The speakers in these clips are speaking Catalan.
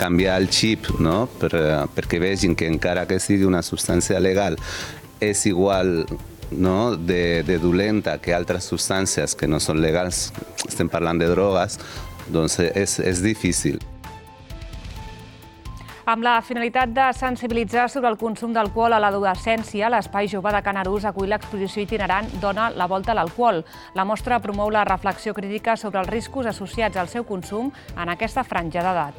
canviar el xip, no? Perquè vegin que encara que sigui una substància legal és igual, no? de dolenta que altres substàncies que no són legals, estem parlant de drogues, doncs és difícil. Amb la finalitat de sensibilitzar sobre el consum d'alcohol a l'adolescència, l'Espai Jove de Canarús acull l'exposició itinerant Dona la volta a l'alcohol. La mostra promou la reflexió crítica sobre els riscos associats al seu consum en aquesta franja d'edat.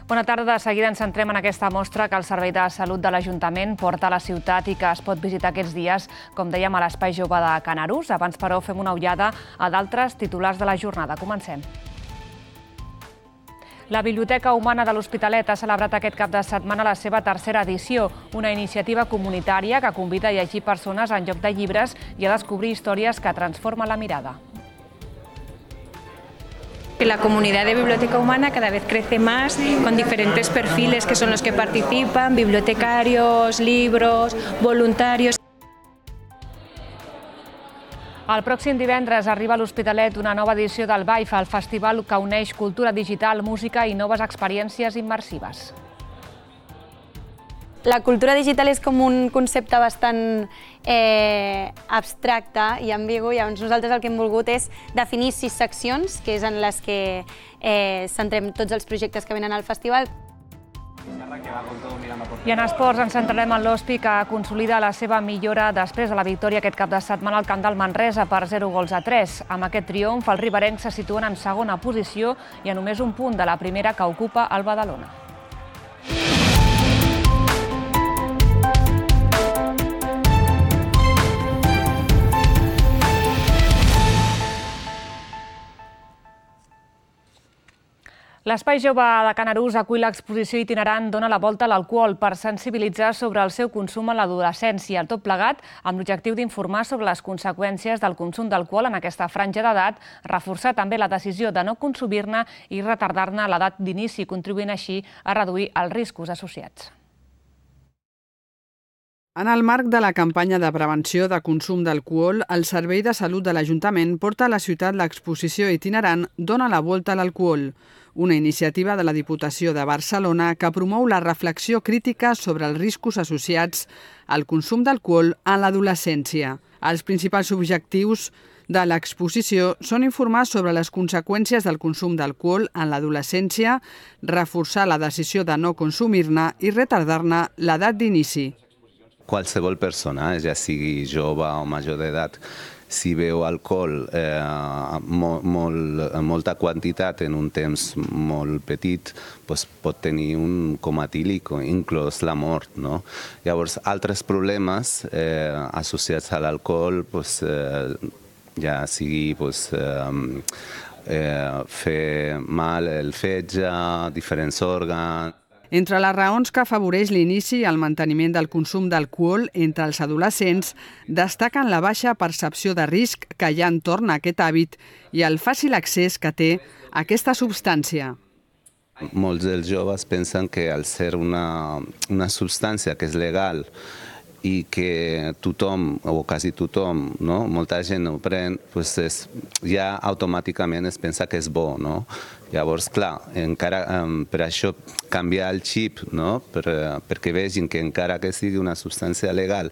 Bona tarda. De seguida ens centrem en aquesta mostra que el Servei de Salut de l'Ajuntament porta a la ciutat i que es pot visitar aquests dies, com dèiem, a l'Espai Jove de Canarús. Abans, però, fem una ullada a d'altres titulars de la jornada. Comencem. La Biblioteca Humana de l'Hospitalet ha celebrat aquest cap de setmana la seva tercera edició, una iniciativa comunitària que convida a llegir persones en lloc de llibres i a descobrir històries que transformen la mirada. La comunidad de Biblioteca Humana cada vez crece más, con diferentes perfiles que son los que participan, bibliotecarios, libros, voluntarios. El pròxim divendres arriba a l'Hospitalet una nova edició del BAIF, el festival que uneix cultura digital, música i noves experiències immersives. La cultura digital és com un concepte bastant abstracte i ambigu, llavors nosaltres el que hem volgut és definir 6 seccions, que és en les que centrem tots els projectes que venen al festival. I en esports ens centrarem en l'Hospi, que consolida la seva millora després de la victòria aquest cap de setmana al camp del Manresa per 0-3. Amb aquest triomf, els riberencs se situen en segona posició i a només un punt de la primera que ocupa el Badalona. L'Espai Jove de Canarús acull l'exposició itinerant Dona la volta a l'alcohol per sensibilitzar sobre el seu consum a l'adolescència. Tot plegat amb l'objectiu d'informar sobre les conseqüències del consum d'alcohol en aquesta franja d'edat, reforçar també la decisió de no consumir-ne i retardar-ne l'edat d'inici, contribuint així a reduir els riscos associats. En el marc de la campanya de prevenció de consum d'alcohol, el Servei de Salut de l'Ajuntament porta a la ciutat l'exposició itinerant Dona la volta a l'alcohol, una iniciativa de la Diputació de Barcelona que promou la reflexió crítica sobre els riscos associats al consum d'alcohol en l'adolescència. Els principals objectius de l'exposició són informar sobre les conseqüències del consum d'alcohol en l'adolescència, reforçar la decisió de no consumir-ne i retardar-ne l'edat d'inici. Qualsevol persona, ja sigui jove o major d'edat, si beu alcohol molta quantitat en un temps molt petit, pot tenir un coma etílic o inclús la mort. Llavors, altres problemes associats a l'alcohol, ja sigui fer mal el fetge, diferents òrgans. Entre les raons que afavoreix l'inici i el manteniment del consum d'alcohol entre els adolescents destaquen la baixa percepció de risc que hi ha entorn a aquest hàbit i el fàcil accés que té a aquesta substància. Molts dels joves pensen que al ser una substància que és legal i que tothom, o quasi tothom, molta gent ho pren, ja automàticament es pensa que és bo. Llavors, clar, per això canviar el xip, perquè vegin que encara que sigui una substància legal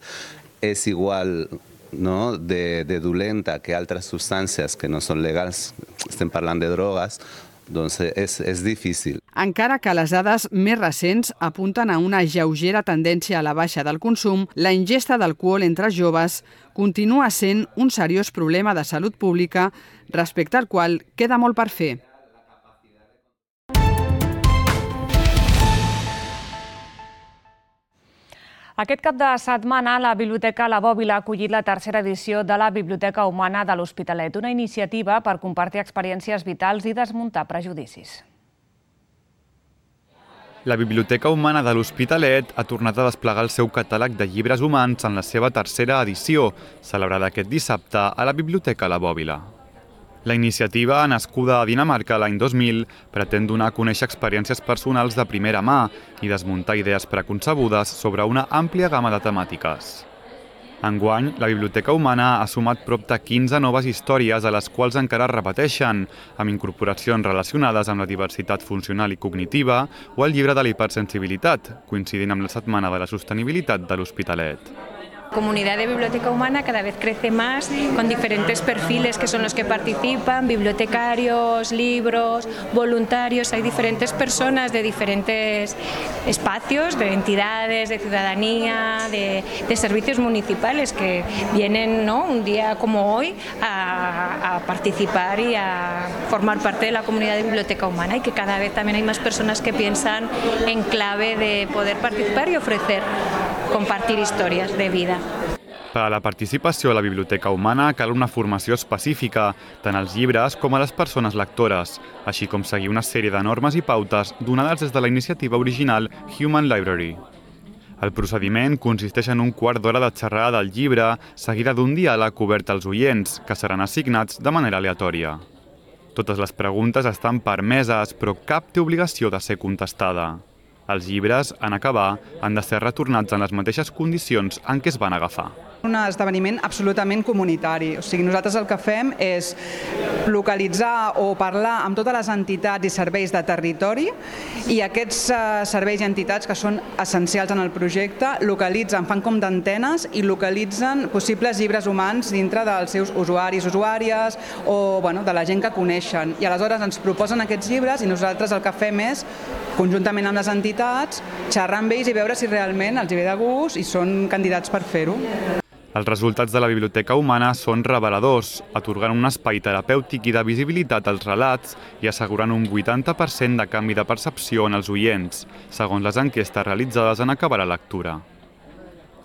és igual de dolenta que altres substàncies que no són legals, estem parlant de drogues, doncs és difícil. Encara que les dades més recents apunten a una lleugera tendència a la baixa del consum, la ingesta d'alcohol entre joves continua sent un seriós problema de salut pública respecte al qual queda molt per fer. Aquest cap de setmana, la Biblioteca La Bòbila ha acollit la tercera edició de la Biblioteca Humana de l'Hospitalet, una iniciativa per compartir experiències vitals i desmuntar prejudicis. La Biblioteca Humana de l'Hospitalet ha tornat a desplegar el seu catàleg de llibres humans en la seva tercera edició, celebrada aquest dissabte a la Biblioteca La Bòbila. La iniciativa, nascuda a Dinamarca l'any 2000, pretén donar a conèixer experiències personals de primera mà i desmuntar idees preconcebudes sobre una àmplia gamma de temàtiques. Enguany, la Biblioteca Humana ha sumat prop de 15 noves històries a les quals encara es repeteixen, amb incorporacions relacionades amb la diversitat funcional i cognitiva o el llibre de la hipersensibilitat, coincidint amb la Setmana de la Sostenibilitat de l'Hospitalet. La comunidad de Biblioteca Humana cada vez crece más, con diferentes perfiles que son los que participan, bibliotecarios, libros, voluntarios. Hay diferentes personas de diferentes espacios, de entidades, de ciudadanía, de servicios municipales que vienen, ¿no?, un día como hoy a participar y a formar parte de la comunidad de Biblioteca Humana, y que cada vez también hay más personas que piensan en clave de poder participar y ofrecer, compartir historias de vida. Per a la participació a la Biblioteca Humana cal una formació específica, tant als llibres com a les persones lectores, així com seguir una sèrie de normes i pautes donades des de la iniciativa original Human Library. El procediment consisteix en un quart d'hora de xerrada del llibre, seguida d'un diàleg obert als oients, que seran assignats de manera aleatòria. Totes les preguntes estan permeses, però cap té obligació de ser contestada. Els llibres, en acabar, han de ser retornats en les mateixes condicions en què es van agafar. Un esdeveniment absolutament comunitari. O sigui, nosaltres el que fem és localitzar o parlar amb totes les entitats i serveis de territori, i aquests serveis i entitats que són essencials en el projecte localitzen, fan com d'antenes i localitzen possibles llibres humans dintre dels seus usuaris, usuàries o de la gent que coneixen. I aleshores ens proposen aquests llibres i nosaltres el que fem és, conjuntament amb les entitats, xerrar amb ells i veure si realment els ve de gust i són candidats per fer-ho. Els resultats de la Biblioteca Humana són reveladors, atorgant un espai terapèutic i de visibilitat als relats i assegurant un 80% de canvi de percepció en els oients, segons les enquestes realitzades en acabar la lectura.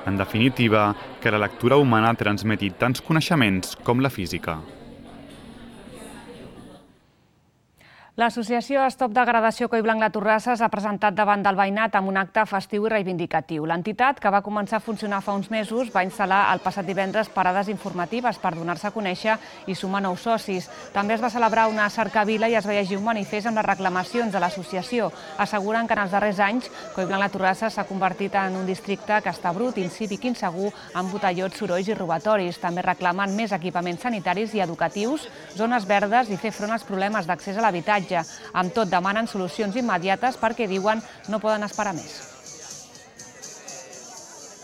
En definitiva, que la lectura humana transmeti tants coneixements com la física. L'associació Stop Degradació Collblanc de Torrassa s'ha presentat davant del veïnat amb un acte festiu i reivindicatiu. L'entitat, que va començar a funcionar fa uns mesos, va instal·lar el passat divendres parades informatives per donar-se a conèixer i sumar nous socis. També es va celebrar una cercavila i es va llegir un manifest amb les reclamacions de l'associació. Asseguren que en els darrers anys Collblanc de Torrassa s'ha convertit en un districte que està brut, incívic, insegur, amb botellots, sorolls i robatoris. També reclamen més equipaments sanitaris i educatius, zones verdes i fer front als problemes d'accés a l'habitatge. Amb tot, demanen solucions immediates perquè, diuen, no poden esperar més.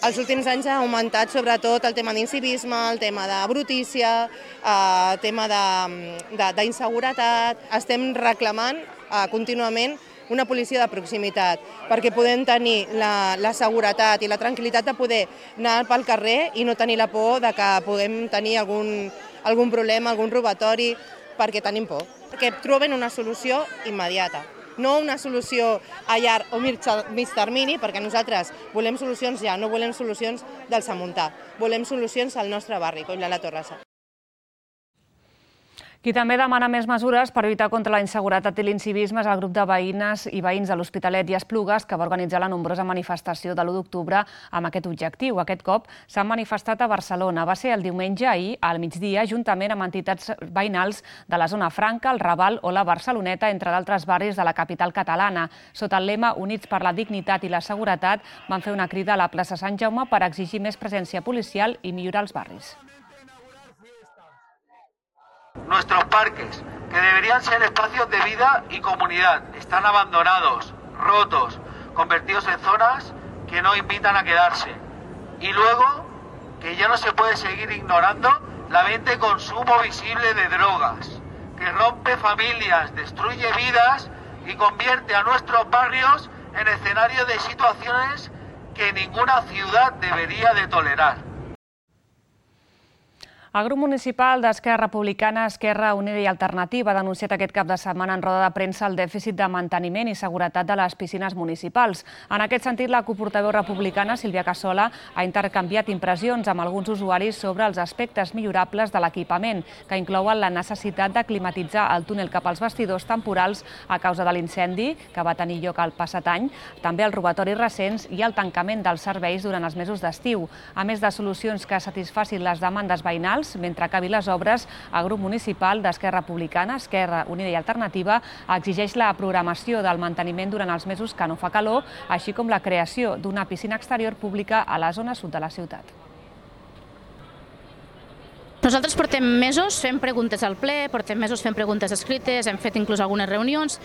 Els últims anys ha augmentat sobretot el tema d'incivisme, el tema de brutícia, el tema d'inseguretat. Estem reclamant contínuament una policia de proximitat perquè podem tenir la seguretat i la tranquil·litat de poder anar pel carrer i no tenir la por de que puguem tenir algun problema, algun robatori, perquè tenim por. Que troben una solució immediata, no una solució a llarg o mig termini, perquè nosaltres volem solucions ja, no volem solucions del Samuntà, volem solucions al nostre barri, Collblanc de Torrassa. Qui també demana més mesures per lluitar contra la inseguretat i l'incivisme és el grup de veïnes i veïns de l'Hospitalet i Esplugues, que va organitzar la nombrosa manifestació de l'1 d'octubre amb aquest objectiu. Aquest cop s'han manifestat a Barcelona. Va ser el diumenge, ahir, al migdia, juntament amb entitats veïnals de la Zona Franca, el Raval o la Barceloneta, entre d'altres barris de la capital catalana. Sota el lema Units per la dignitat i la seguretat, van fer una crida a la plaça Sant Jaume per exigir més presència policial i millorar els barris. Nuestros parques, que deberían ser espacios de vida y comunidad, están abandonados, rotos, convertidos en zonas que no invitan a quedarse. Y luego, que ya no se puede seguir ignorando la venta y consumo visible de drogas, que rompe familias, destruye vidas y convierte a nuestros barrios en escenarios de situaciones que ninguna ciudad debería de tolerar. El grup municipal d'Esquerra Republicana, Esquerra Unida i Alternativa ha denunciat aquest cap de setmana en roda de premsa el dèficit de manteniment i seguretat de les piscines municipals. En aquest sentit, la coportaveu republicana, Sílvia Cassola, ha intercanviat impressions amb alguns usuaris sobre els aspectes millorables de l'equipament, que inclouen la necessitat de climatitzar el túnel cap als vestidors temporals a causa de l'incendi que va tenir lloc el passat any, també els robatoris recents i el tancament dels serveis durant els mesos d'estiu. A més de solucions que satisfacin les demandes veïnals, mentre acabi les obres, el grup municipal d'Esquerra Republicana, Esquerra Unida i Alternativa, exigeix la programació del manteniment durant els mesos que no fa calor, així com la creació d'una piscina exterior pública a la zona sud de la ciutat. Nosaltres portem mesos fent preguntes al ple, portem mesos fent preguntes escrites, hem fet inclús algunes reunions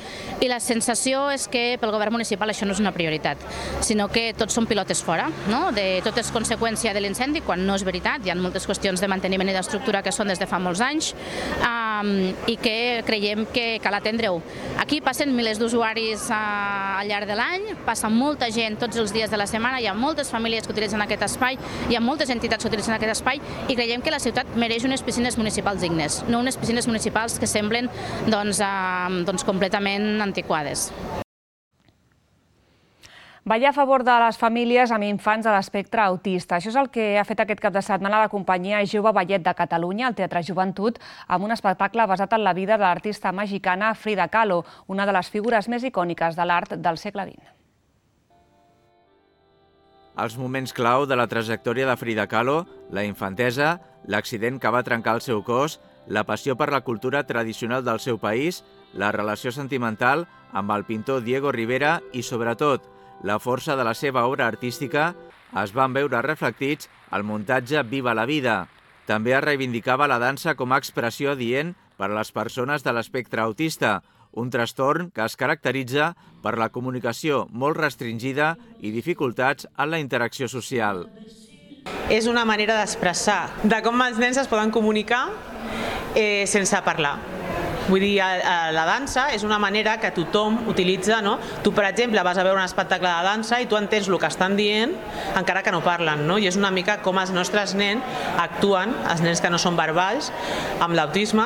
i la sensació és que pel govern municipal això no és una prioritat, sinó que tots són pilotes fora, de tot és conseqüència de l'incendi, quan no és veritat, hi ha moltes qüestions de manteniment i d'estructura que són des de fa molts anys i que creiem que cal atendre-ho. Aquí passen milers d'usuaris al llarg de l'any, passa molta gent tots els dies de la setmana, hi ha moltes famílies que utilitzen aquest espai, hi ha moltes entitats que utilitzen aquest espai i creiem que la ciutat mereix unes piscines municipals dignes, no unes piscines municipals que semblen completament antiquades. Ballar a favor de les famílies amb infants de l'espectre autista. Això és el que ha fet aquest cap de setmana la companyia Jove Ballet de Catalunya, al Teatre Joventut, amb un espectacle basat en la vida de l'artista mexicana Frida Kahlo, una de les figures més icòniques de l'art del segle XX. Els moments clau de la trajectòria de Frida Kahlo, la infantesa, l'accident que va trencar el seu cos, la passió per la cultura tradicional del seu país, la relació sentimental amb el pintor Diego Rivera i, sobretot, la força de la seva obra artística es van veure reflectits al muntatge Viva la vida. També es reivindicava la dansa com a expressió adient per a les persones de l'espectre autista, un trastorn que es caracteritza per la comunicació molt restringida i dificultats en la interacció social. És una manera d'expressar de com els nens es poden comunicar sense parlar. Vull dir, la dansa és una manera que tothom utilitza, no? Tu, per exemple, vas a veure un espectacle de dansa i tu entens el que estan dient encara que no parlen, no? I és una mica com els nostres nens actuen, els nens que no són verbals, amb l'autisme,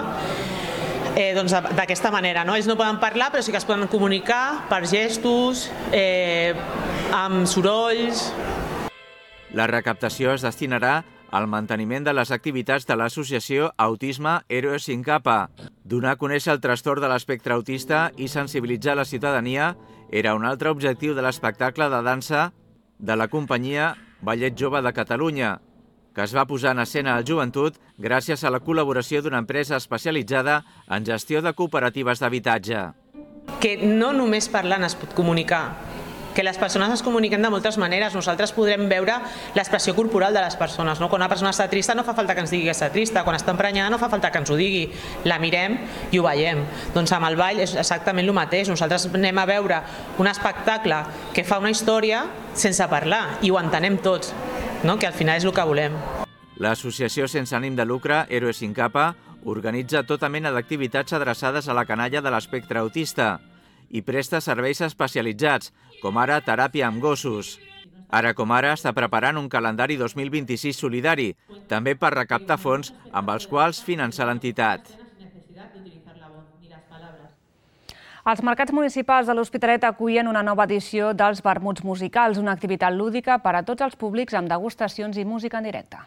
d'aquesta manera, no? Ells no poden parlar, però sí que es poden comunicar per gestos, amb sorolls. La recaptació es destinarà al manteniment de les activitats de l'associació Autisme Héroes sin Capa. Donar a conèixer el trastorn de l'espectre autista i sensibilitzar la ciutadania era un altre objectiu de l'espectacle de dansa de la companyia Ballet Jove de Catalunya, que es va posar en escena al Joventut gràcies a la col·laboració d'una empresa especialitzada en gestió de cooperatives d'habitatge. Que no només parlant es pot comunicar, que les persones es comuniquen de moltes maneres. Nosaltres podrem veure l'expressió corporal de les persones. Quan una persona està trista no fa falta que ens digui que està trista, quan està emprenyada no fa falta que ens ho digui. La mirem i ho veiem. Doncs amb el ball és exactament el mateix. Nosaltres anem a veure un espectacle que fa una història sense parlar i ho entenem tots, que al final és el que volem. L'associació sense ànim de lucre Héroes sin Capa organitza tota mena d'activitats adreçades a la canalla de l'espectre autista i presta serveis especialitzats, com ara teràpia amb gossos. Ara com ara està preparant un calendari 2026 solidari, també per recaptar fons amb els quals finançar l'entitat. Els mercats municipals de l'Hospitalet acullen una nova edició dels Vermuts Musicals, una activitat lúdica per a tots els públics amb degustacions i música en directe.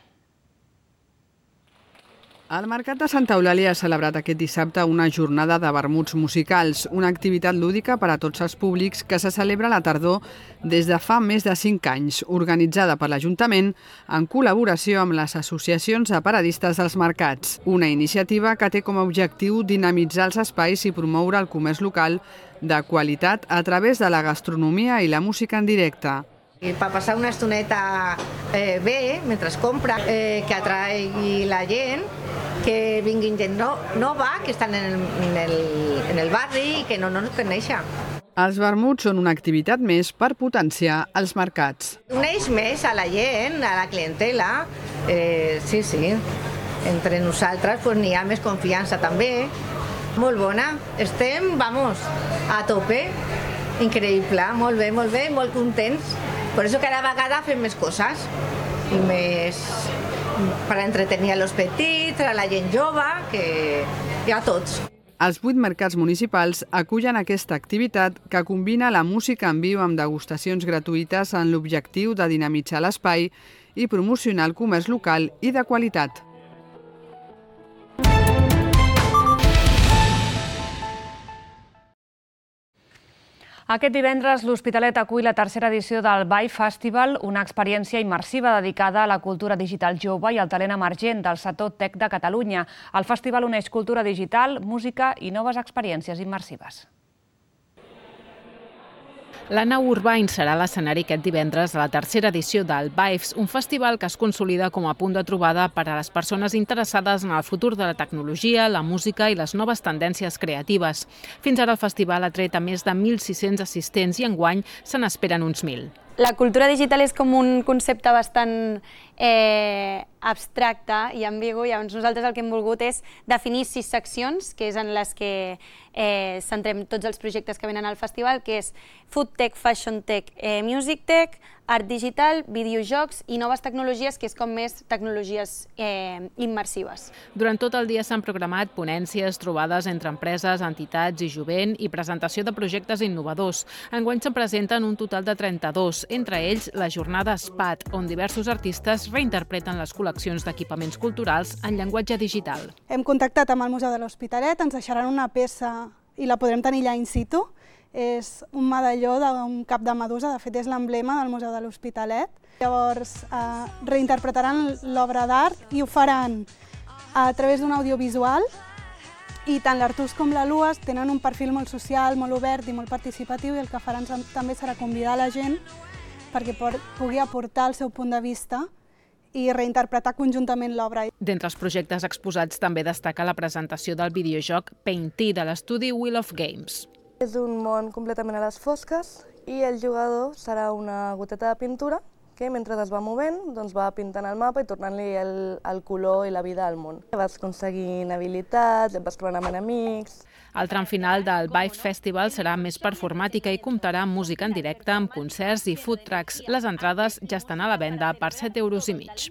El Mercat de Santa Eulàlia ha celebrat aquest dissabte una jornada de vermuts musicals, una activitat lúdica per a tots els públics que se celebra a la tardor des de fa més de 5 anys, organitzada per l'Ajuntament en col·laboració amb les associacions de paradistes dels mercats. Una iniciativa que té com a objectiu dinamitzar els espais i promoure el comerç local de qualitat a través de la gastronomia i la música en directe. Per passar una estoneta bé, mentre es compra, que atraigui la gent, que vinguin gent nova, que estan en el barri i que no ens coneixen. Els vermuts són una activitat més per potenciar els mercats. Uneix més a la gent, a la clientela, sí. Entre nosaltres n'hi ha més confiança també. Molt bona, estem, a tope, increïble, molt bé, molt contents. Per això cada vegada fem més coses i més per entretenir els petits, a la gent jove, que a tots. Els 8 mercats municipals acullen aquesta activitat que combina la música en viu amb degustacions gratuïtes en l'objectiu de dinamitzar l'espai i promocionar el comerç local i de qualitat. Aquest divendres l'Hospitalet acull la tercera edició del Vibe Festival, una experiència immersiva dedicada a la cultura digital jove i al talent emergent del sector tech de Catalunya. El festival uneix cultura digital, música i noves experiències immersives. L'Anna Urbain serà l'escenari aquest divendres a la tercera edició del Vibes, un festival que es consolida com a punt de trobada per a les persones interessades en el futur de la tecnologia, la música i les noves tendències creatives. Fins ara el festival ha tret a més de 1.600 assistents i enguany se n'esperen uns 1.000. La cultura digital és com un concepte bastant abstracte i ambigu, llavors nosaltres el que hem volgut és definir 6 seccions, que és en les que centrem tots els projectes que venen al festival, que és Food Tech, Fashion Tech, Music Tech, Art Digital, Videojocs i noves tecnologies, que és com més tecnologies immersives. Durant tot el dia s'han programat ponències, trobades entre empreses, entitats i jovent i presentació de projectes innovadors. Enguany se'n presenten un total de 32, entre ells la jornada SPAT, on diversos artistes reinterpreten les col·leccions d'equipaments culturals en llenguatge digital. Hem contactat amb el Museu de l'Hospitalet, ens deixaran una peça i la podrem tenir allà in situ. És un medalló d'un cap de medusa, de fet és l'emblema del Museu de l'Hospitalet. Llavors reinterpretaran l'obra d'art i ho faran a través d'un audiovisual i tant l'Artús com la Luas tenen un perfil molt social, molt obert i molt participatiu i el que faran també serà convidar la gent perquè pugui aportar el seu punt de vista i reinterpretar conjuntament l'obra. D'entre els projectes exposats també destaca la presentació del videojoc Painty de l'estudi Wheel of Games. És un món completament a les fosques i el jugador serà una goteta de pintura que mentre es va movent va pintant el mapa i tornant-li el color i la vida al món. Vas aconseguint habilitats, et vas trobant amb enemics. El tram final del Vibes Festival serà més performàtica i comptarà amb música en directe, amb concerts i food trucks. Les entrades ja estan a la venda per 7,5 €.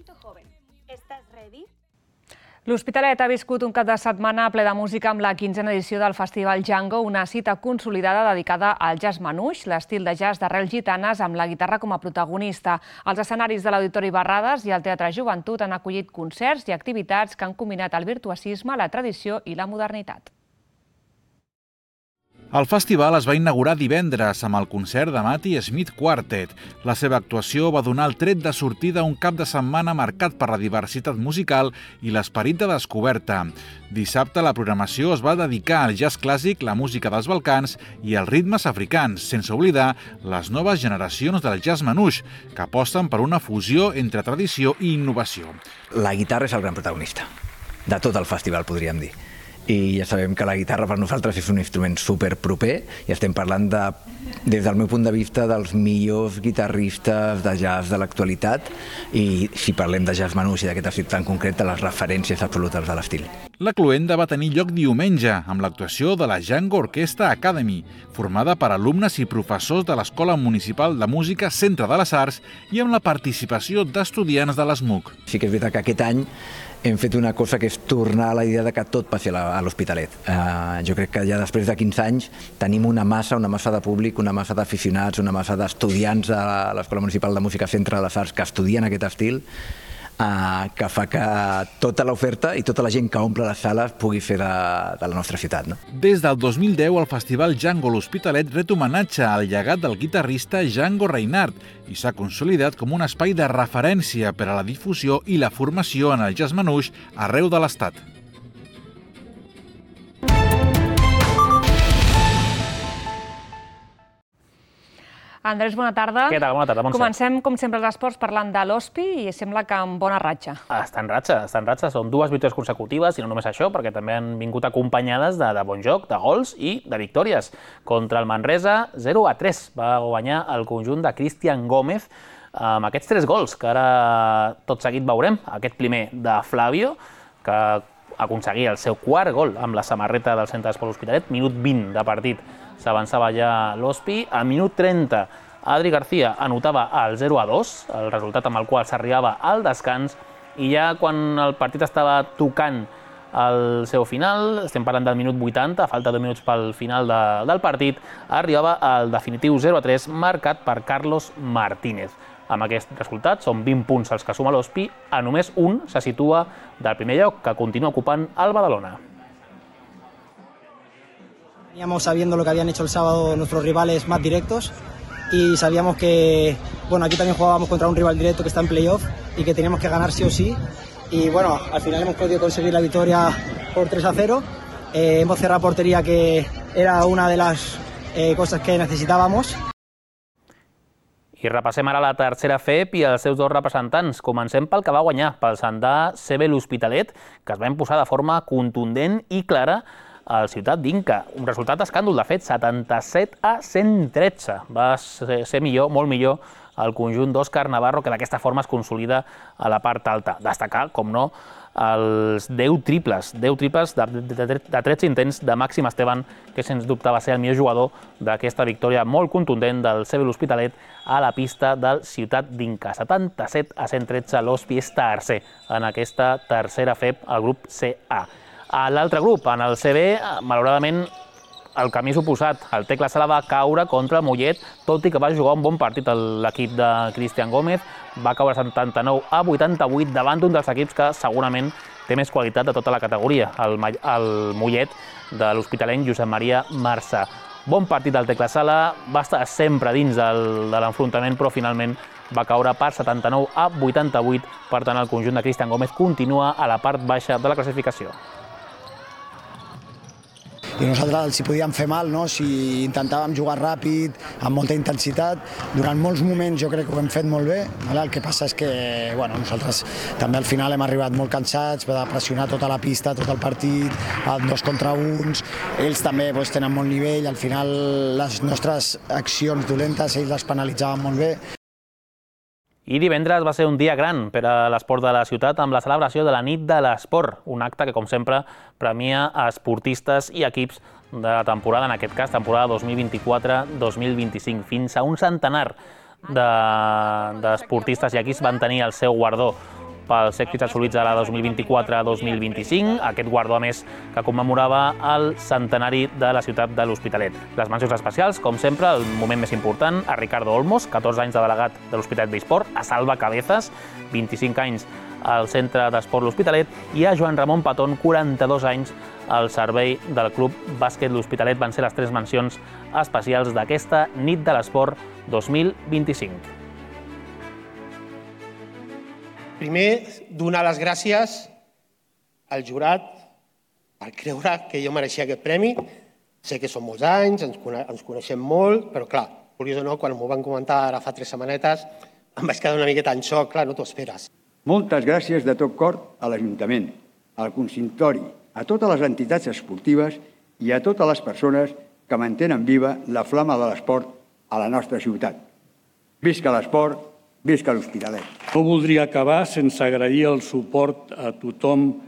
L'Hospitalet ha viscut un cap de setmana ple de música amb la 15a edició del Festival Django, una cita consolidada dedicada al jazz manouche, l'estil de jazz d'arrels gitanes amb la guitarra com a protagonista. Els escenaris de l'Auditori Barrades i el Teatre Joventut han acollit concerts i activitats que han combinat el virtuosisme, la tradició i la modernitat. El festival es va inaugurar divendres amb el concert de Matty Smith Quartet. La seva actuació va donar el tret de sortida a un cap de setmana marcat per la diversitat musical i l'esperit de descoberta. Dissabte la programació es va dedicar al jazz clàssic, la música dels Balcans i els ritmes africans, sense oblidar les noves generacions del jazz manouche, que aposten per una fusió entre tradició i innovació. La guitarra és el gran protagonista de tot el festival, podríem dir. I ja sabem que la guitarra per nosaltres és un instrument superproper i estem parlant des del meu punt de vista dels millors guitarristes de jazz de l'actualitat i si parlem de jazz manouche i d'aquest estil tan concret de les referències absolutes de l'estil. La cloenda va tenir lloc diumenge amb l'actuació de la Django Orchestra Academy, formada per alumnes i professors de l'Escola Municipal de Música Centre de les Arts i amb la participació d'estudiants de l'ESMUC. Sí que és veritat que aquest any hem fet una cosa que és tornar a la idea de que tot passi a l'Hospitalet. Jo crec que ja després de 15 anys tenim una massa de públic, una massa d'aficionats, una massa d'estudiants a l'Escola Municipal de Música Centre de les Arts que estudien aquest estil, que fa que tota l'oferta i tota la gent que omple les sales pugui fer de la nostra ciutat. Des del 2010, el Festival Django l'Hospitalet ret homenatge al llegat del guitarrista Django Reinhardt i s'ha consolidat com un espai de referència per a la difusió i la formació en el jazz manouche arreu de l'Estat. Andrés, bona tarda. Què tal? Bona tarda, Montse. Comencem, com sempre, els esports parlant de l'Hospi i sembla que amb bona ratxa. Està en ratxa. Són 2 victòries consecutives i no només això, perquè també han vingut acompanyades de bon joc, de gols i de victòries. Contra el Manresa, 0-3. Va guanyar el conjunt de Cristian Gómez amb aquests 3 gols, que ara tot seguit veurem. Aquest primer de Flavio, que aconseguia el seu 4º gol amb la samarreta del Centre d'Esport Hospitalet, minut 20 de partit. S'avançava ja l'Hospi. A minut 30, Adri García anotava el 0-2, el resultat amb el qual s'arribava al descans, i ja quan el partit estava tocant el seu final, estem parlant del minut 80, a falta de 2 minuts pel final del partit, arribava el definitiu 0-3 marcat per Carlos Martínez. Amb aquest resultat són 20 punts els que suma l'Hospi, a només un se situa del primer lloc, que continua ocupant el Badalona. Veníamos sabiendo lo que habían hecho el sábado nuestros rivales más directos y sabíamos que, bueno, aquí también jugábamos contra un rival directo que está en playoff y que teníamos que ganar sí o sí. Y bueno, al final hemos podido conseguir la victoria por 3-0. Hemos cerrado portería, que era una de las cosas que necesitábamos. I repassem ara la tercera FEP i els seus dos representants. Comencem pel que va guanyar, pel Sandà CB l'Hospitalet, que es va imposar de forma contundent i clara al Ciutat d'Inca. Un resultat escàndol, de fet, 77-113. Va ser millor, molt millor, el conjunt d'Òscar Navarro, que d'aquesta forma es consolida a la part alta. Destacar, com no, els 10 triples de 13 intents de Màxim Esteban, que sens dubte va ser el millor jugador d'aquesta victòria molt contundent del CB l'Hospitalet a la pista del Ciutat d'Inca. 77-113, l'Hospi és tercer en aquesta tercera FEP, al grup CA. A l'altre grup, en el CB, malauradament, el camí és oposat. El Tecla Sala va caure contra el Mollet, tot i que va jugar un bon partit l'equip de Cristian Gómez. Va caure 79-88 davant d'un dels equips que segurament té més qualitat de tota la categoria, el Mollet de l'hospitalenc Josep Maria Marçà. Bon partit del Tecla Sala, va estar sempre dins de l'enfrontament, però finalment va caure per 79-88. Per tant, el conjunt de Cristian Gómez continua a la part baixa de la classificació. I nosaltres els hi podíem fer mal, si intentàvem jugar ràpid, amb molta intensitat. Durant molts moments jo crec que ho hem fet molt bé. El que passa és que nosaltres també al final hem arribat molt cansats, de pressionar tota la pista, tot el partit, 2 contra 1. Ells també tenen molt nivell, al final les nostres accions dolentes ells les penalitzaven molt bé. I divendres va ser un dia gran per a l'esport de la ciutat amb la celebració de la Nit de l'Esport, un acte que, com sempre, premia esportistes i equips de la temporada, en aquest cas, temporada 2024-2025. Fins a un centenar d'esportistes i equips van tenir el seu guardó pels èxits assolits a la 2024-2025, aquest guardó, a més, que commemorava el centenari de la ciutat de l'Hospitalet. Les mencions especials, com sempre, el moment més important, a Ricardo Olmos, 14 anys de delegat de l'Hospitalet d'eSport, a Salva Cabezas, 25 anys al Centre d'Esport l'Hospitalet, i a Joan Ramon Patón, 42 anys al servei del Club Bàsquet l'Hospitalet. Van ser les 3 mencions especials d'aquesta Nit de l'Esport 2025. Primer, donar les gràcies al jurat per creure que jo mereixia aquest premi. Sé que són molts anys, ens coneixem molt, però clar, curiós o no, quan m'ho van comentar ara fa 3 setmanetes, em vaig quedar una miqueta en xoc, clar, no t'ho esperes. Moltes gràcies de tot cor a l'Ajuntament, al consistori, a totes les entitats esportives i a totes les persones que mantenen viva la flama de l'esport a la nostra ciutat. Visca l'esport! Visca l'Hospitalet. No voldria acabar sense agrair el suport a tothom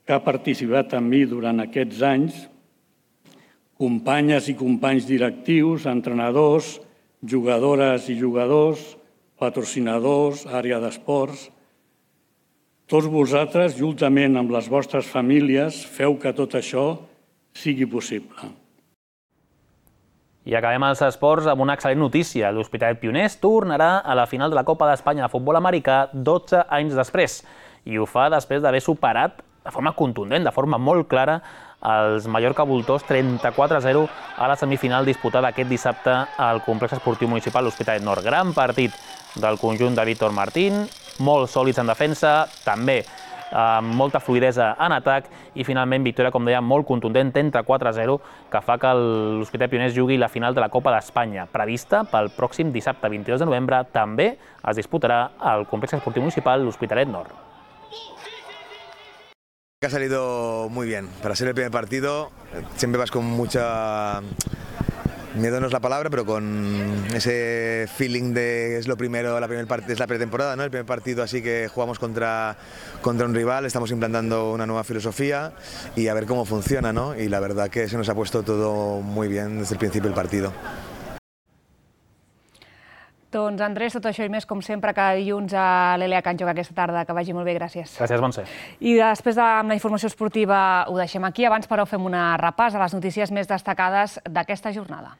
que ha participat amb mi durant aquests anys, companyes i companys directius, entrenadors, jugadores i jugadors, patrocinadors, àrea d'esports. Tots vosaltres, juntament amb les vostres famílies, feu que tot això sigui possible. I acabem els esports amb una excel·lent notícia. L'Hospitalet Pioners tornarà a la final de la Copa d'Espanya de futbol americà 12 anys després. I ho fa després d'haver superat de forma contundent, de forma molt clara, els Mallorca Voltors 34-0 a la semifinal disputada aquest dissabte al complex esportiu municipal l'Hospitalet Nord. Gran partit del conjunt de Víctor Martín, molt sòlids en defensa, també amb molta fluidesa en atac i finalment victòria, com deia, molt contundent, 34-0, que fa que l'Hospitalet Pioners jugui la final de la Copa d'Espanya, prevista pel pròxim dissabte 22 de novembre. També es disputarà al complex esportiu municipal l'Hospitalet Nord. Ha salido muy bien. Para ser el primer partido, siempre vas con mucha... Miedo no es la palabra, pero con ese feeling de es lo primero, es la pretemporada, ¿no? El primer partido, así que jugamos contra un rival, estamos implantando una nueva filosofía y a ver cómo funciona, ¿no? Y la verdad que se nos ha puesto todo muy bien desde el principio del partido. Doncs Andrés, tot això i més, com sempre, cada dilluns a l'Elia Can Joc aquesta tarda. Que vagi molt bé, gràcies. Gràcies, Montse. I després de la informació esportiva ho deixem aquí. Abans, però, fem una repàs a les notícies més destacades d'aquesta jornada.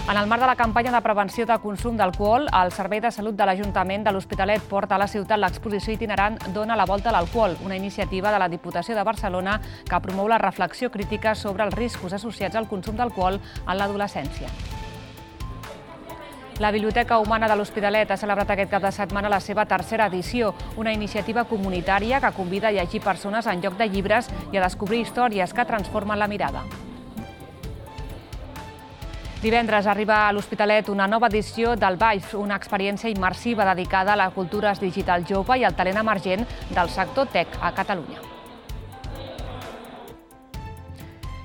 En el marc de la campanya de prevenció de consum d'alcohol, el Servei de Salut de l'Ajuntament de l'Hospitalet porta a la ciutat l'exposició itinerant Dona la volta a l'alcohol, una iniciativa de la Diputació de Barcelona que promou la reflexió crítica sobre els riscos associats al consum d'alcohol en l'adolescència. La Biblioteca Humana de l'Hospitalet ha celebrat aquest cap de setmana la seva tercera edició, una iniciativa comunitària que convida a llegir persones en lloc de llibres i a descobrir històries que transformen la mirada. Divendres arriba a l'Hospitalet una nova edició del VIVE, una experiència immersiva dedicada a la cultura digital jove i al talent emergent del sector tech a Catalunya.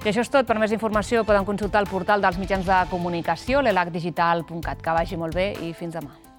I això és tot. Per més informació poden consultar el portal dels mitjans de comunicació, l'elacdigital.cat. Que vagi molt bé i fins demà.